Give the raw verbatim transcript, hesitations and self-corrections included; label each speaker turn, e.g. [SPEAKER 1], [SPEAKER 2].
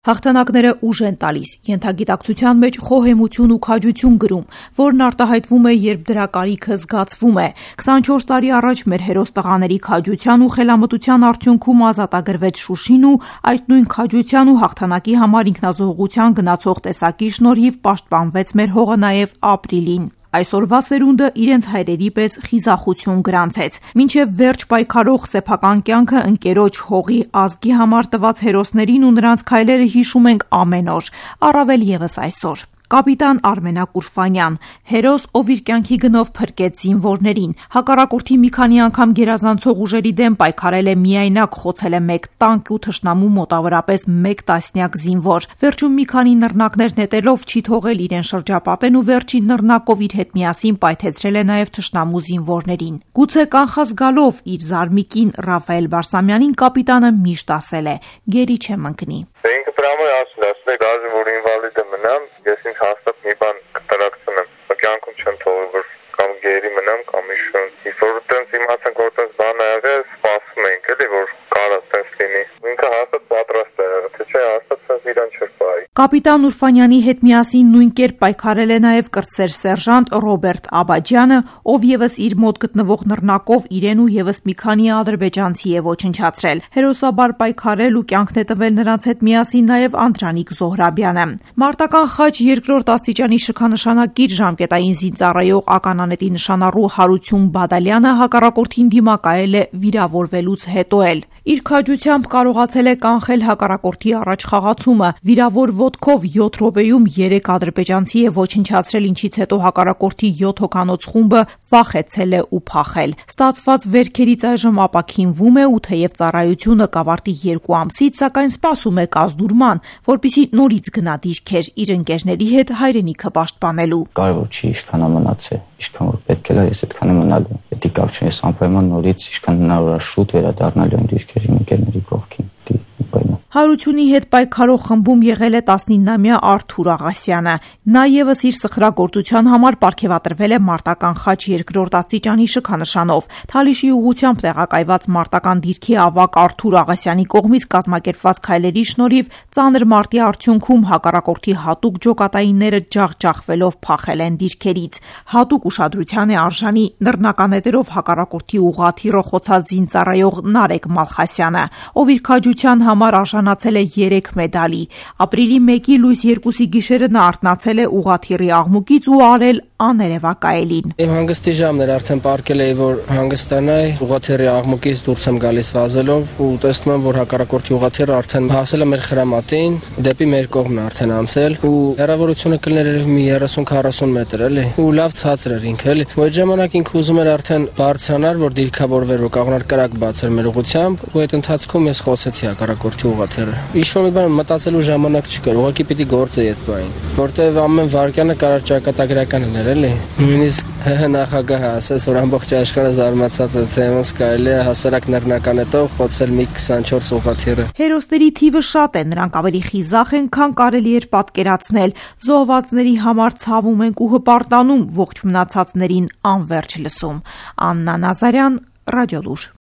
[SPEAKER 1] Հաղթանակները ուժ են տալիս, ենթագիտակցության մեջ խոհեմություն ու քաջություն գրում, որն արտահայտվում է, երբ դրա կարիքը զգացվում է։ քսանչորս տարի առաջ մեր հերոս տղաների քաջության ու խելամտության արդյունքում ազատագրվեց Շուշին ու այդ նույն քաջության ու հաղթանակի համար ինքնազոհության գնացող տեսակի շնորհիվ պաշտպանվեց մեր հողը նաև ապրիլին։ Այսօրվա սերունդը իրենց հայրերի պես խիզախություն գրանցեց։ Մինչև վերջ պայքարող սեփական կյանքը ընկերոջ հողի ազգի համար տված հերոսներին ու նրանց քայլերը հիշում ենք ամեն օր, առավել ևս այսօր։ Կապիտան Արմենակ Ուրֆանյան, հերոս, ով իր կյանքի գնով փրկեց զինվորներին, հակառակորդի մի քանի անգամ գերազանցող ուժերի դեմ պայքարել է միայնակ, խոցել է մեկ տանկ ու թշնամու մոտավորապես մեկ տասնյակ զինվոր։ Վերջում մի քանի նռնակներ նետելով չի թողել իրեն շրջապատեն ու վերջին նռնակով իր հետ միասին պայթեցրել է նաև թշնամու զինվորներին։ Գուցե կանխազգալով իր զարմիկին Ռաֆայել Բարսամյանին կապիտանը միշտ ասել է. «Գերի չեմ ընկնի»։
[SPEAKER 2] Ինքը դրամը ասում է, ասում է գազի, որ ինվալիդ մնամ, ես ինձ հաստատ մի բան կտրակցնեմ, կյանքում չեմ թողել, որ կամ գերի մնամ, կամ իշում։ Իսկ որ տենց իմացանք, որ տենց բան ա եղել, սպասում ենք, էլի, որ կարա տենց լինի։ Ինքը հաստատ պատրաստ է եղել, թե չէ հաստատ տենց իրան չէր պահի։
[SPEAKER 1] Կապիտան Ուրֆանյանի հետ միասին նույն կերպ պայքարել է նաև կրտսեր սերժանտ Ռոբերտ Աբաջյանը, ով ևս իր մոտ գտնվող նռնակով իրեն ու ևս մի քանի ադրբեջանցի է ոչնչացրել։ Հերոսաբար պայքարել ու կյանքն է տվել նրանց հետ միասին նաև Անդրանիկ Զոհրաբյանը։ Մարտական խաչ երկրորդ աստիճանի շքանշանակիր ժամկետային զինծառայող ականանետի նշանառու Հարություն Բադալյանը հակառակորդին դիմակայել է վիրավորվելուց հետո էլ։ Իր քաջությամբ կարողացել է կանխել հակառակորդի առաջխաղացումը, վիրավոր ոտքով յոթ րոպեում երեք ադրբեջանցի է ոչնչացրել, ինչից հետո հակառակորդի յոթ հոգանոց խումբը վախեցել է ու փախել։ Ստացված վերքերից այժմ ապաքինվում է ու թեև ծառայությունը կավարտի երկու ամսից, սակայն սպասում է կազդուրման, որպեսզի նորից գնա դիրքեր իր ընկերների հետ հայրենիքը պաշտպանելու։
[SPEAKER 3] Կարևոր չի ինչքան մնացել, ինչքան որ պետք է լա, ես այդքան եմ մնալու։ Պետք է կապ չունի, ես անպայման նորից ինչքան հնարավոր է շուտ վերադառնալու այն դիրքերի ընկերների կողքին։
[SPEAKER 1] Հարությունի հետ պայքարող խմբում եղել է տասնինամյա Արթուր Աղասյանը։ Նա ևս իր սխրագործության համար պարգևատրվել է մարտական խաչ երկրորդ աստիճանի շքանշանով։ Թալիշի ուղղությամբ տեղակայված մարտական դիրքի ավագ Արթուր Աղասյանի կողմից կազմակերպված քայլերի շնորհիվ ծանր մարտի արդյունքում հակառակորդի հատուկ ջոկատայինները ջախջախվելով փախել են դիրքերից։ Հատուկ ուշադրության է արժանի նռնականետերով հակառակորդի ուղղաթիռը խոցած զինծառայող Նարեկ Մալխասյանը, ով իր քաջության համար արժանացել է երեք մեդալի։ Ապրիլի մեկի լույս երկուսի գիշերը նա արթնացել է ուղղաթիռի աղմուկից ու արել աներևակայելին։
[SPEAKER 4] Իմ հանգստի ժամն էր, արդեն պարկել էի, որ հանգստանայի, ուղղաթիռի աղմուկից դուրս եմ գալիս վազելով ու տեսնում եմ, որ հակառակորդի ուղղաթիռը արդեն հասել է մեր խրամատին, դեպի մեր կողմն արդեն անցել ու հեռավորությունը կլիներ մի երեսուն քառասուն մետր, էլի։ Ու լավ ցածր էր ինքը, էլի։ Ու այդ ժամանակ ինքը ուզում էր արդեն բարձրանալ, որ դիրքավորվեր, որ կողմներ կրակ բացեր մեր ուղղությամբ, ու այդ ընթացքում ես խոսեցի հակառակորդի ուղղաթիռը։ Ինչ-որ մի բան մտածելու ժամանակ չկար, ուղղակի պիտի գործեի այդ բանին, որտեվ ամեն վարկյանը կարար ճակատագրական լիներ, էլի։ Նույնիսկ ՀՀ նախագահը ասաց, որ ամբողջ աշխարհը զարմացած է, թե ոնց կարելի է հասարակ նռնականետով խոցել մի քսանչորս ուղղաթիռը։
[SPEAKER 1] Հերոսների թիվը շատ է, նրանք ավելի խիզախ են, քան կարելի էր պատկերացնել։ Զոհվածների համար ցավում ենք ու հպարտանում, ողջ մնացածներին անverջ լսում։ Աննա Նազարյան, Ռադիոլուր։